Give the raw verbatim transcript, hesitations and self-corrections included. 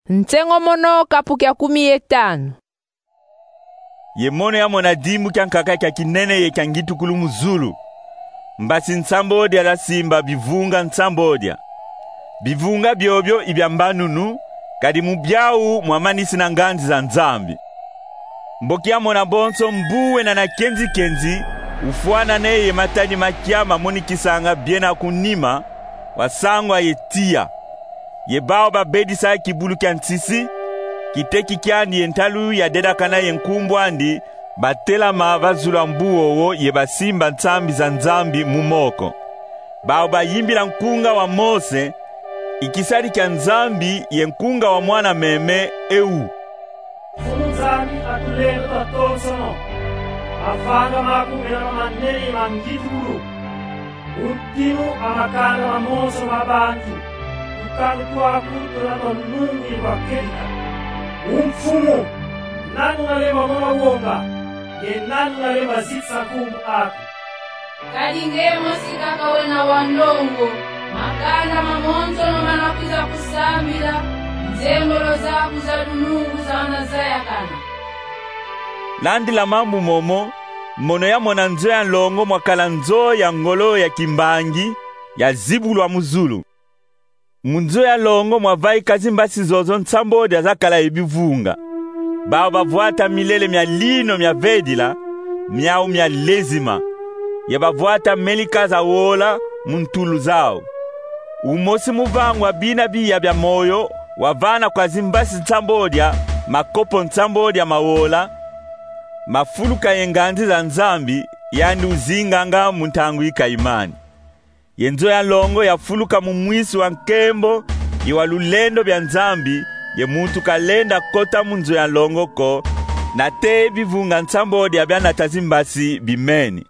Nsengo mono, kapu kia kumi ye tanu. Ye mono yamona dimbu kia nkaka kia kinene ye kia ngitukulu mu zulu. Mbasi nsambodia zasimba bivunga nsambodia. Bivunga biobio i bia mbanunu, kadi mu biau mwamanisi na nganzi za Nzambi. Mboki yamona bonso mbu wena na kenzi-kenzi, ufwanane ye matadi ma kia mamonikisanga biena ku nima, wasangwa ye tiya. Ye bau babedisa kibulu kia nsisi, kiteki kiandi ye ntalu yadedakana ye nkumbu andi, batelama va zulu a mbu wowo ye basimba nsambi za Nzambi mu moko. Bau bayimbila nkunga wa Mose, i kisadi kia Nzambi, ye nkunga wa mwana meme, eu: Mfumu Nzambi a tulendo twatonsono, mavanga maku mena mamanene ye ma ngitukulu. Mu ntinu a makanda mamonsono ma bantu, tukalu twaku tuna twa nungu ye twa kedika. O Mfumu, nani una lemba mona wonga, ye nani una lemba zitisa nkumbu aku? Kadi nge mosi kaka wena wa ndongo, makanda mamonsono mana kwiza kusambila, nzengolo zaku za lunungu zana zayakana. Landila mambu momo, mono yamona nzo ya nlongo mwakala nzo ya ngolo ya kimbangi, yazibulwa mu zulu. Mu nzo ya nlongo mwavaika zimbasi zozo nsambodia zakala ye bivunga. Bau bavwata milele mia lino mia vedila, miau mia lezima, ye bavwata melika za wola mu ntulu zau. Umosi mu vangwa bina biya bia moyo wavana kwa zimbasi nsambodia makopo nsambodia ma wola, mafuluka ye nganzi za Nzambi, yandi uzinganga mu ntangu yi Kayimani. Ye nzo ya nlongo yafuluka mu mwisi wa nkembo ye wa lulendo bia Nzambi, ye muntu kalenda kota mu nzo ya nlongo ko, nate bivunga nsambodia bianata zimbasi bimeni.